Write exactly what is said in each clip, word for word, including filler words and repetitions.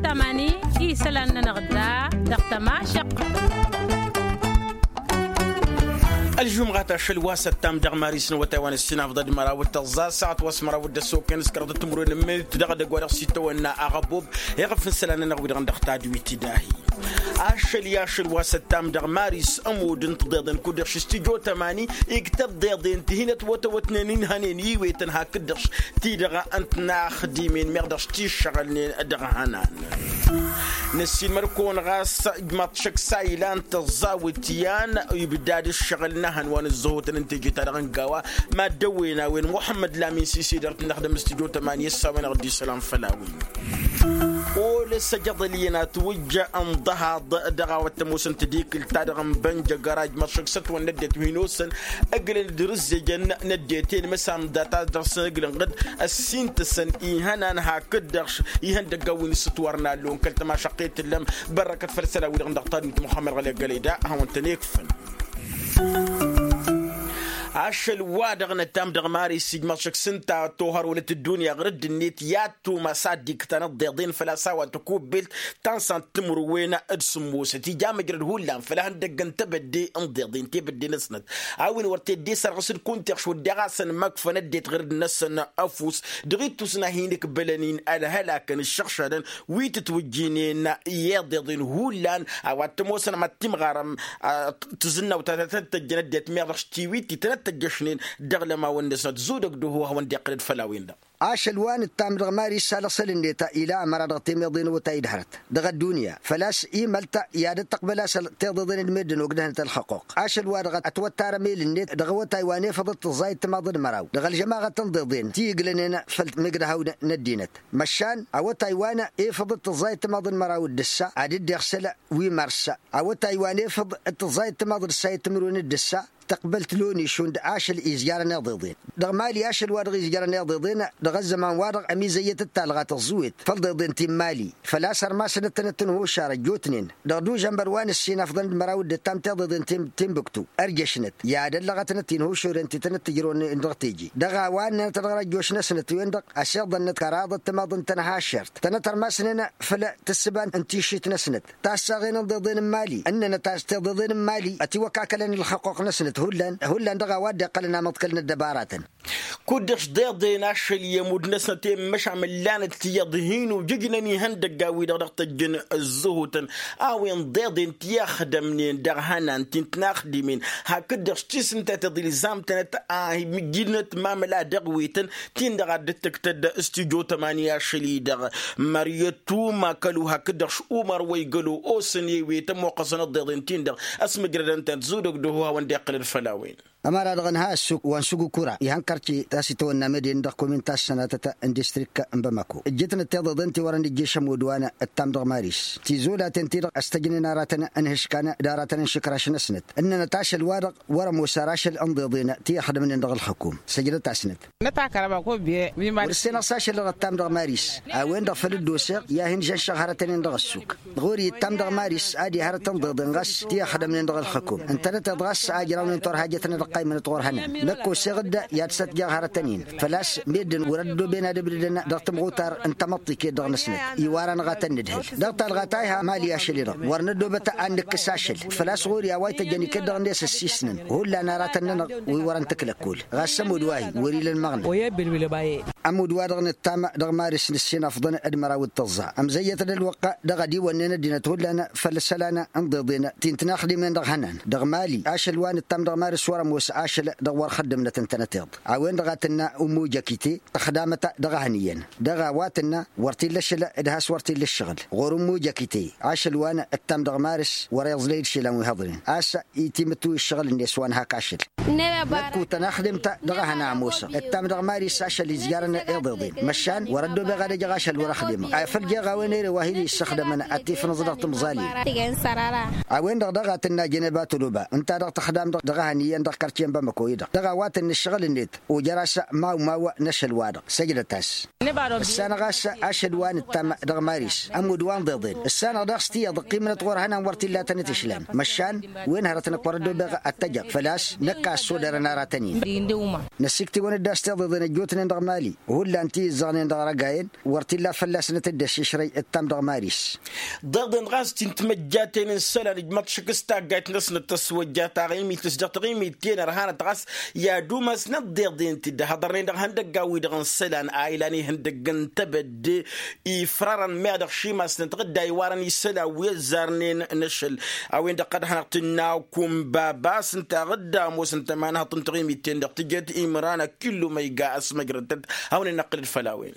Tămani isălan-nănăɣ da dăɣ-tămašăq. Ălžumɣat ašăl wa s-ăttam dăɣ-maris n-awătay wa n-ăssinafḍăd măraw d-tăẓẓa s-săɣăt wa s-măraw d-ăssokăn s-kăraḍăt timǝrwen n-minit dăɣ-edăgg wa dăɣ-s itawănna aɣăbob. Iɣăf n-isălan-nănăɣ wi-dăɣ n-dăɣ tadwit d-ahi ašăl i-ašăl wa s-ăttam dăɣ-maris ămudd n-tiḍeḍen kud-dăɣ š-s tijo tămani. Iktăb deḍen ti hin-ătwătăwătnen inhănen iwetăn hakd-dăɣ ti-dăɣ n-tinaxdimen meɣ dăɣ-s tiššăɣălnen dăɣ-ihănan. Năssiilmăd-kăwăn ɣas ijmaḍ šăkk s-a ilan tăẓẓawǝt i-an ibdad ǝššăɣǝl n-ehăn wa n-ǝzzăhotăn n-teje-ta-dăɣ n-gawa. Mad-dăwwen a-wen muḥămmăd lamin sisi dăr-t n-ăxdăm s-tijo tămani ăssawen-aɣ dd-isălan făll-a-wen. Olăs ăjăḍăl iyyăn atwǝjja ǝnḍăhaḍ dăɣ-a-wa t-ămoosăn tadikǝlt-ta-dăɣ n-bănjăgăra ijmăḍ šăkk s-ătwănna ăddinăt wi n-osăn ǝglăn d-irǝzzejăn n-ăddinăt i-inmăsam data dăɣ-săn ǝglăn ɣǝd ăssintăsăn ihănan hakd-dăɣ ihăndăggan wi n-issǝtwărăn allo n-kăl-tămašăqqet tǝllăm. Bărrăkăt făll-isălan-wi-dăɣ n-dăɣ-tadwit muxămmăd ɣăli ăggălăy da ad-hawăn-tăn-ikfăn. Ašăl-wa-dăɣ nătam dăɣ-maris ijmaḍ šăkk s-ǝnta tohăr wălăt ăddunya ɣur-dd-net i-ad-tumas ad-dd-iktăn ăḍḍeḍen făl-a-s a-wa tăkubbelt ta n-san timǝrwen d-sǝmmosăt ija măjrăd hullan făll-ehăndăgg n-tebădde n-ḍeḍen tebădde-năsnăt a-wen wăr t-dd-e-sărɣǝs d-kunta iɣš wădden a-s ănmăkfăn ăddinăt ɣur-dd-năsăn ăfuss dăɣ-ittus n-ad-hin-ǝkbălăn-in ălhălakăn ǝššăɣšadăn wi tǝtwǝjjǝynen i-iḍeḍen hullan. A-wa t-ămoosăn mad-timɣarăm tǝzǝnnawt ta tăn-tăjjăn ăddinăt meɣ dăɣ-s tiwit ti tăn-ăttăjjăšnen dăɣ-lămawăn-năsnăt zudăg d-oho a hawăn-dd-iqqǝlăd făll-a-wen-dăɣ. Ašăl wa nǝttam dăɣ-mari s-alăɣsăl-net ila ămăra dăɣ-temăḍen awătay d-hărăt dăɣ-ăddunya făl-a-s imăl ta i-ad-dd-tăqbăl a-s tiḍeḍen d-meddǝn ogdăhnăt ălxăqquq. Ašăl-wa-dăɣ ătwăttar amel-net dăɣ-awătay wa n-efăḍ d-tǝẓẓayăt timaḍ d-măraw dăɣ-ălžămaɣăt n-iḍeḍen ti ǝglănen făll-migdăhaw n-ăddinăt măšan awătay wa n-efăḍ d-tǝẓẓayăt timaḍ d-măraw d-ǝssa ad-dd-iɣsăl wi mars. Awătay wa n-efăḍ d-tǝẓẓayăt timaḍ d-ǝssa i-timǝrwen d-ǝssa tăqbăl tǝlonešund ašăl izjarăn iḍeḍen dăɣ-mali ašăl wa dăɣ-izjarăn iḍeḍen. Dăɣ-ăzzăman-wa-dăɣ ămizăyyăt d-talɣa tăẓẓuwet făll-iḍeḍen ti n-mali făl-a-s ărmasăn d-tănăt-tǝnhušar ăjjootnen dăɣ-dužănbăr wa n-ǝssin afḍăn d-măraw d-ǝttam tiḍeḍen ti n-bǝktu ărjăšnăt i-ad-ăllăɣătnăt inhušuren ti tănăt-tǝjrăwăn dăɣ-teje dăɣ-a-wa ǝnnănăt dăɣ-răjjoš-năsnăt-wen-dăɣ ăsiḍănnăt kăraḍăt timaḍ n-tănhašert tănăt-ărmasnen făll-tǝssǝba n-tišit-năsnăt tassaɣen n-iḍeḍen n-imali ǝnnănăt a-s tiḍeḍen n-imali ătiwăkakălăn ǝlxăqquq-năsnăt hullan hullan dăɣ-a-wa dd-iqqălăn amăḍkăl n-ăddăbaratăn. Kud-dăɣ s-deḍen ašăl i-ămudd-năsnăt i-măšan mǝllanăt tiyyăḍ hin-ujǝjnăn ihăndăggan-wi-dăɣ dăɣ-tăjjăn ǝzzǝhutăn a-wen deḍen ti ăxdămnen dăɣ-ihănan ti n-tinaxdimen hakd-dăɣ s-tisǝnta tiḍilzam-tănăt a imǝjjǝdnăt mamăla dăɣ-wetăn. Tin-dăɣ a dd-tǝktăd s-tijo tămani ašăl-i-dăɣ măryătuma kălu hakd-dăɣ š-umăr wa igălo osăn i-wetăn moqqăsăn ăḍḍeḍen-tin-dăɣ ăsmǝjrădăn-tăn zudăg d-oho a hawăn-dd-iqqǝlăd făll-a-wen. Ămăra-dăɣ ǝnha ăssuk wa n-sugukura ihăn kărce ta s-itawănna meden dăɣ-komin ta s-sănatăt n-distrik n-bamako ǝjjǝtnăt tiḍeḍen ti wărăn ǝjješ ămudd wa n-ǝttam dăɣ-maris tizolaten-ti-dăɣ ăstăjnen aratăn n-ihǝškan d-aratăn n-išǝkraš-năsnăt ǝnnănăt ašăl-wa-dăɣ wăr-ămoos ar ašăl n-iḍeḍen ti ăxdămnen dăɣ-ǝlxǝkum săjdăt-asnăt. Wăr-ǝssin ăṣṣašăl dăɣ-ăttam dăɣ-maris a-wen-dăɣ făl dd-oseɣ i-ad-hin-žănšăɣ hărătăn-in dăɣ-ăssuk ɣur-i ǝttam dăɣ-maris ad-i hărăt n-iḍeḍen ɣas ti ăxdămnen dăɣ-ǝlxǝkum ǝntănăteḍ ɣas a ǝjrawnen turhajăt-nănăɣ ăqqaymănăt ɣur-hănan. Năkk oseɣ-dd i-ad-sătjăɣ hărătăn-in făl-a-s meddǝn wăr-ăddooben ad-ǝbdǝdăn dăɣ-tamɣutar n-tamăḍt iket-dăɣ-năsnăt iwarăn ɣatăn nǝdhǝl dăɣ-talɣa ta iha mali ašăl-i-dăɣ wăr năddoobăt ad-nǝkkǝs ašăl făl-a-s ɣur-i a-wa ităjjăn iket-dăɣ-net ǝssisnăn hullan aratăn-nănăɣ wi wărăn tǝkla ăkkol ɣas ămudd wa-hi wăr-ila ălmăɣna. Ămudd-wa-dăɣ nǝttam dăɣ-maris n-ǝssin afḍăn d-măraw d-tăẓẓa ămzăyyăt-dd ălwăqq dăɣ-ad-iwănnen ăddinăt hullan făll-isălan n-iḍeḍen ti n-tinaxdimen dăɣ-ihănan dăɣ-mali ašăl wa nǝttam dăɣ-maris wăr-ămoos ašăl dăɣ-wăr xăddǝmnăt ǝntănăteḍ. A-wen-dăɣ a tǝnna ummu jăkite tăxdamăt dăɣ-ehăn iyyăn dăɣ-a-wa tǝnna wăr t-illa ašăl d-has-wăr t-illa ǝššăɣǝl ɣur-ummu jăkite ašăl wa nǝttam dăɣ-maris wăr-iẓlăy d-išilan wi hăḍnen a-s itimǝttu ǝššăɣǝl-net wa n-hak ašăl. Năkk utăn axdǝm-ta dăɣ-ehăn a ămoosăɣ ǝttam dăɣ-mari s-ašăl izjarăn iḍeḍen măšan wăr-ăddoobeɣ ad-ăjăɣ ašăl wăr-ăxdimăɣ. Afăl jeɣ a-wen ere wa hin-issăxdămăn ad-t-ifnǝẓ dăɣ-tǝmẓalin. A-wen-dăɣ daɣ a tǝnna jăneba toloba ǝnta-dăɣ tăxdam dăɣ dăɣ-ehăn iyyăn dăɣ-kărce n-bamăko-i-dăɣ dăɣ-a-wa tăn-nǝššăɣǝl-net. Ojăr-as mawmaw n-ašăl-wa-dăɣ săjdăt-as. Ǝssanăɣ a-s ašăl wa nǝttam dăɣ-maris ămudd wa n-ḍeḍen. Ǝssanăɣ daɣ s-tiyyăḍ ǝqqimnăt ɣur-ehănan wăr t-illa a tăn-ǝtǝšlan. Măšan wen hărăt năkk wăr-ăddobeɣ ad-t-ăjăɣ făl-a-s năkk a ăssodărăn aratăn-in. Năssiktǝwăn-dd a-s tiḍeḍen ăjjootnen dăɣ-mali hullan ti ǝzzăɣnen dăɣ-răgayen. Wăr t-illa fălla-snăt dd-ăššǝšrăy ǝttam dăɣ-maris. Ḍeḍen ɣas ti n-timăjjaten n-isălan ǝjmăḍ šik s-taggayt-năsnăt tăswăjja taɣimit s-dăɣ taɣimit-ten ărhanăt ɣas i-ad-umasnăt ḍeḍen-t-dd ăhhăḍărnen dăɣ-ihăndăggan-wi-dăɣ n-isălan a ilan ihăndăgg n-tebădde. Ifrarăn meɣ dăɣ-šimasnăt ɣǝdda iwarăn isălan wi ăzzarnen n-ašăl. A-wen-dăɣ ad-hanăɣ-tǝnna kunbabas ǝnta ɣǝdda ămoosăn tămanhăḍt n-taɣimit-ten-dăɣ tǝjet imran ăkillu ma iga ăsmăjrăd-tăt. Hawăn-in-năqqǝlăd făll-a-wen.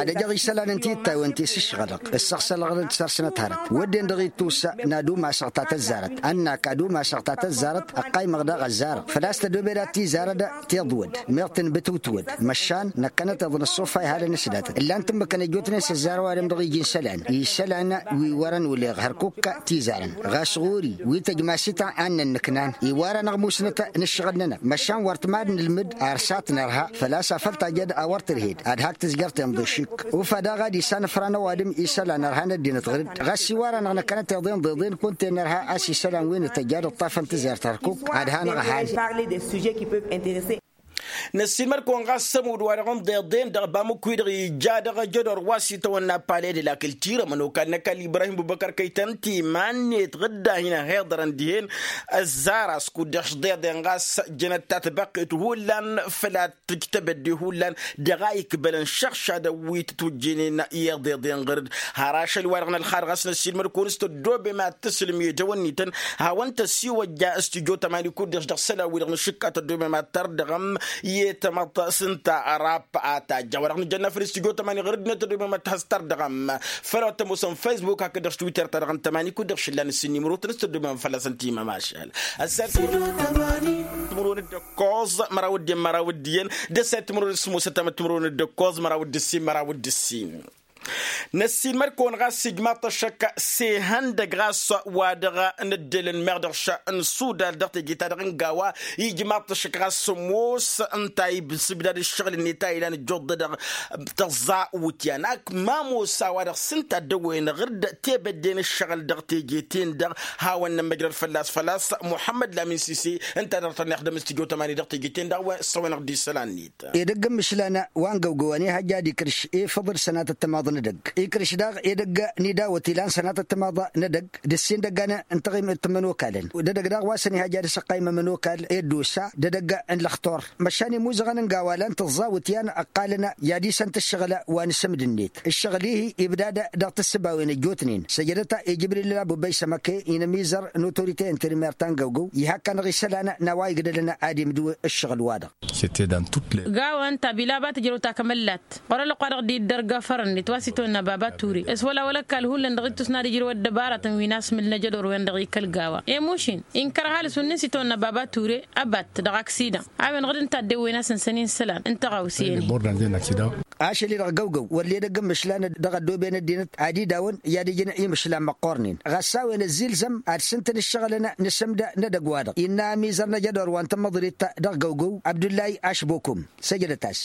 Ad-ăjăɣ isălan n-tittaywen ti s-ǝšɣălăɣ ǝssăɣsălăɣ-dăɣ-d săr-snăt hărăt wădden dăɣ-ittus n-ad-umasăɣ ta tăzzarăt ănnak ad-umasăɣ ta tăzzarăt. Ăqqaymăɣ daɣ ăzzarăɣ făl-a-s tădobed ad-tizarăd tiḍwăd meɣ tǝnbǝtǝwtǝwăd. Măšan năkkănăteḍ n-ăṣṣufa ihal n-asdatăt ǝllan-t ǝmmǝkăn ăjjootnen s-ăzzarăw adǝm dăɣ-iji n-isălan isălan wi wărăn uleɣ hărkuk tizarăn. Ɣas ɣur-i wi tăjmasităn a n-nǝnnǝknan iwar-anăɣ musnăt n-ǝššăɣǝl-nănăɣ măšan wăr t-mad-nǝlmǝd ar sat nărha făl-a-s afăl tajjăd a wăr tǝrhed ad-hak tǝzjăr tenḍe šik. Ufa daɣ ad-isanăfran ăwadǝm isălan ărhan ăddinăt ɣǝr-dd ɣas iwar-anăɣ năkkănăteḍ inḍeḍen kunta-en nărha a-s isălan wi n-tăjja d-ǝṭṭafăn tǝzert hărkuk ad-hanăɣ-ăhan. Năssiinmăr-kăwăn ɣas s-ămudd-wa-dăɣ n-iḍeḍen dăɣ-bamǝkku-i-dăɣ ija dăɣ-ajădor wa s-itawănna pale de la kǝltir ămănokal n-ăkall ibrahim bubăkăr kăy-tăn timan-net ɣǝdda hin-ăhiḍărăn dihen. Ăzzar-as kud-dăɣ-s iḍeḍen ɣas jănăt tatbăqqet hullan făl-ad-tǝj tebădde hullan dăɣ-a ikbălăn šăɣšadăn wi tǝtwǝjjǝynen i-iḍeḍen ɣǝr-dd. Har ašăl-wa-dăɣ n-ălxad ɣas năssiinmăr-kăwăn s-tăddobem ad-tǝslǝm i-dăwănnităn hawăn-tăsiwăjja s-tijo tămani kud-dăɣ-s dăɣ-isălan-wi-dăɣ n-ašǝkka tăddobem ad-tărdăɣăm i-tamăḍt s-ǝnta. Rap a tajja wa-dăɣ nǝjănna făll-s tijo tămani ɣǝr-dd-net tăddobem ad-t-has-tărdăɣăm. Făll-a-wa t-ămoosăn facebook hakd-dăɣ s-twitter-ta-dăɣ n-tămani kud-dăɣ šǝllan ǝssin nimrotăn s-tăddobem fălla-săn timămašal. Ăssertăn timrotăn d-ǝkkoẓ măraw dd-iyyăn măraw dd-iyyăn d-ăssayăt timrotăn s-ămoosăt tamăt timrotăn d-ǝkkoẓ măraw dd-ǝssin măraw dd-ǝssin. Năssiinmăr-kăwăn ɣas ijmaḍ-t ăššăk s-ihăndăg ɣas wa dăɣ-nǝddǝlăn meɣ dăɣ-ša n-sudal dăɣ-teje-ta-dăɣ n-gawa. Ijmaḍ-t ăššăk ɣas s-ămoos ǝnta ibsǝbdad ǝššăɣǝl-net a ilan ǝjjuḍ-dăɣ tăẓẓa wǝtyan ak ma ămoos a-wa-dăɣ s-ǝnta dd-ăwwăyăn ɣǝr-dd tebădde n-ǝššăɣǝl dăɣ-teje-ten-dăɣ. Hawăn-nămmăjrăd fălla-s făl-a-s muḥămmăd lamin sise ǝnta a dăr-tăn-ixdăm s-tijo tămani dăɣ-teje-ten-dăɣ a-wen s-ăwănăɣ-dd isălan-net. Edăgg n-imǝšlan wa n-găwgăw ănihăjja ad-ikrǝš ifǝḍ d-sănatăt timaḍ n-edăgg ikrǝš daɣ edăgg n-idawăt ilan sănatăt timaḍ n-edăgg d-ǝssin idăggan n-taɣimit n-imănokalăn. D-edăgg daɣ wa s-ănihăjja ad-asăqqaym amănokal i-dd-osa d-edăgg n-lăxtur. Măšan imuzăɣăn n-gawa lan tǝẓẓawǝt i-ad-ăqqalăn i-ad-isăn-t ǝššăɣǝl wa n-asǝmd-net ǝššăɣǝl-i-hi ibdad dăɣ-tǝssǝbawen ăjjootnen săjdăt i-jǝbril ăbubăy sămăke-i n-ămizăr n-otorite interimer ta n-găwgăw. Ih'-akkăn dăɣ-isălan n-a-wa igdălăn ad-imdǝw ǝššăɣǝl-wa-dăɣ. Gawăn tabilaba tǝjrăw takămăllat ɣur-ălwăqq wa dăɣ-dd-iddărg afăr-net wa s-itwănna baba ture s-wăla wăla ăkall hullan dăɣ-ittus n-ad-ijrăw ăddăbarătăn wi n-asmǝl n-ajădor-wen-dăɣ ikăl gawa. Emušin inkăr ăhalǝs wǝnnin s-itwănna baba ture ăbat dăɣ-aksidan a-wen ɣǝd n-tadde wen-asǝnsăn-in isălan n-tăɣawse-en-hi. Ašăl-i-dăɣ găwgăw wăr ledăgg n-imǝšlan dăɣ-ăddooben ăddinăt ad-idawăn i-ad-ijǝn imǝšlan măqqornen ɣas s-a-wen ăzzilzăm ad-sǝntǝn ǝššăɣǝlăn n-asǝmd n-edăgg-wa-dăɣ innă ămizăr n-ajădor wa n-tamăḍrit dăɣ-găwgăw abdullay ašbokum. Săjdăt-as.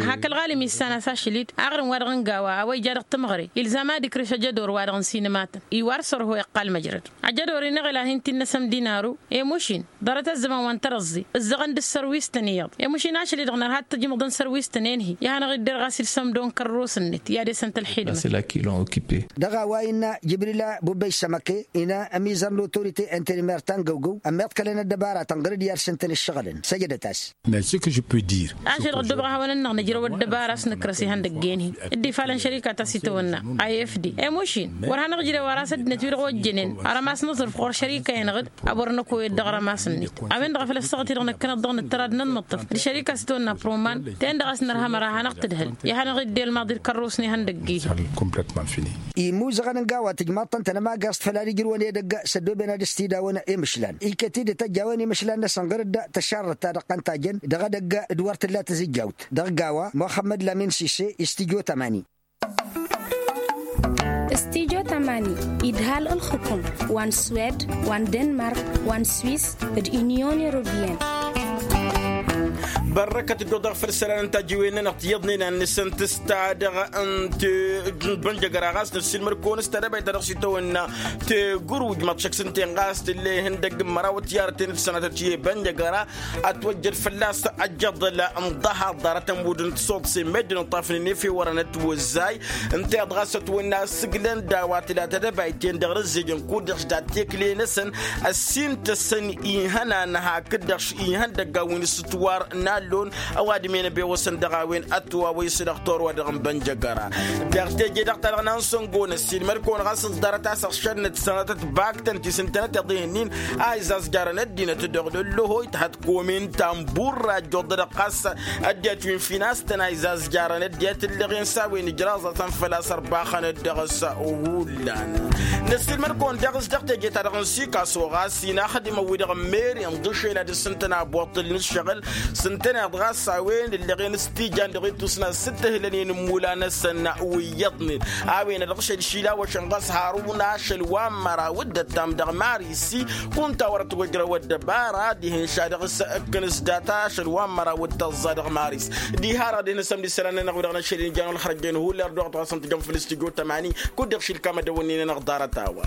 Hak ălɣalim issan-as ašăl-dd aɣrǝm-wa-dăɣ n-gawa a-wa ija dăɣ-tămɣăre ilzam ad-ikrǝš ajădor-wa-dăɣ n-sinǝmatăn iwar sărho iqqal măjrăd. Ajădor-i n-eɣăl ad-hin-t-innă asăm dinaru. Emušin ḍarăt ăzzăman wa n-tărăẓẓi ǝzzăɣăn d-ǝssărwistăn iyyăḍ emušin ašăl-i-dăɣ nărha d-tajǝmǝḍ n-sărwistăn-en-hi. Ihănăɣ-idder ɣas ilsăm-dd o n-kărrus-net i-ad-esăn tălxidmăt. Dăɣ-a-wa innă jibrila bubbăy sămăke ină ămizăr n-otorite interimer ta n-găwgăw ămmiḍkălăn ăddăbaratăn ɣǝr-dd i-ad-sǝntăn ǝššăɣǝlăn săjdăt-as. Ašăl-dăɣ ăddoobăɣ ad-hawăn-ănnăɣ nǝjrăw ăddăbara a-s nǝkrăs ihăndăgg-en-hi dd-ifalăn šărika ta s-itawănna. I f d emušin wăr hanăɣ-ijrew ar asăddinăt wi-dăɣ ojjănen. Ărămas n-aẓrǝf ɣur-šărika-en-ɣǝd a-wăr năkoyăd dăɣ-rămas-net. A-wen-dăɣ a făl ăssaɣăt-i-dăɣ năkkăneḍ dăɣ-nǝttăr ad-nănmăṭṭăf d-šărika a-s itawănna proman. Ten-dăɣ a-s nărha măra hanăɣ-tǝdhǝl i-ad-hanăɣ-iddel maḍi d-kărrus n-ihăndăgg-i-hi. Imuzăɣăn n-gawa tǝjmaḍ-tăn tănămagaẓt făl ad-ijrǝwăn edăgg s-ăddooben ad-ăstidawăn imǝšlan iket-dd tăjj a-wen imǝšlan-năsăn ɣǝr-dd tăšarrăt ta dăɣ-tăn tajăn dăɣ-edăgg d-wăr tǝlla tǝzǝjjawt. Dăɣ-gawa muxămmăd lamin sise istijo tămani. Stijo tamani idhal ǝlxǝkum wa n-swed, wa n-denmark, wa n-swis, d-inyon europiyăn. Bărrăkăt dd-oḍăɣ făll-isălan n-tajǝwen-nănăɣ tiyyăḍnen ad-nǝsǝntǝs ta dăɣ-n-bănjăgăra ɣas năssiilmăr-kăwăn s-tadăbayt ta dăɣ-s itawănna tegurwǝj măḍšăk s-ǝnta-en ɣas tǝlla ihăndăgg n-măraw ătiyarăten d-sănatăt i-bănjăgăra ătwăjjăd fălla-s ăjjăḍăl n-ḍahaḍ ḍarăt ămudd n-tisoḍsen meddǝn ǝṭṭafnen efew wărăn ătwăzzay. Ǝnta-i-dăɣ a-s ătwănna ăssǝglăn d-a-wa tǝla tedăbayt-en dăɣ-răzzejăn kud-dăɣ s-dat-tekle-năsăn ăssintăsăn ihănan hakd-dăɣ ihăndăgg a-wen s-ǝtwar n-allon ăwadǝm-en ăbewăsăn dăɣ-a-wen ătwawăy s-dăɣ torwa dăɣ-n bănjăgăra. Dăɣ-teje dăɣ-ta-dăɣ n-ansăngo n-ăssiilmăr-kăwăn ɣas ǝẓḍarăt a-s ăɣšănnăt sănatăt baktăn ti s-ǝntănăteḍ ihǝnnin a izazjarăn ăddinăt dăɣ-lăllohoyt hăt komin ta n-burra ăjjoḍădăɣ ɣas ăddinăt wi n-finastăn a izazjarăn ăddinăt ǝllăɣen s-a-wen ǝjraẓătăn făl-a-s ărbaxăn dăɣ-s. Hullan năssiilmăd-kăwăn daɣ s-dăɣ teje-ta-dăɣ n-sikaso ɣas inaxdimăn-wi-dăɣ n-meri ǝnḍǝšel ad-ǝssǝntăn aboṭṭǝl n-ǝššăɣǝl s-ǝntăneḍ ɣas a-wen ǝllăɣen s-tijan dăɣ-ittus n-ad-sǝttǝhlănen n-imula-năsăn wi iyyăḍnen a-wen ad-dăɣ-šăl išilawăšăn ɣas harun ašăl wa n-măraw d-ăttam dăɣ-marisi kunta wăr-ătwăjrăw ăddăbara dihen šadăɣ s-ǝkkǝn s-data ašăl wa n-măraw d-tăẓẓa dăɣ-maris. Diha-dăɣ dihen s-ămdisălan-nănăɣ wi-dăɣ n-ašăl injan ălxărăjjăn hullar d-oɣ tăɣasăn tijăm făll-s tijo tămani kud-dăɣ šilkam ad-ăwănnin-anăɣ ḍarăt-a-wa.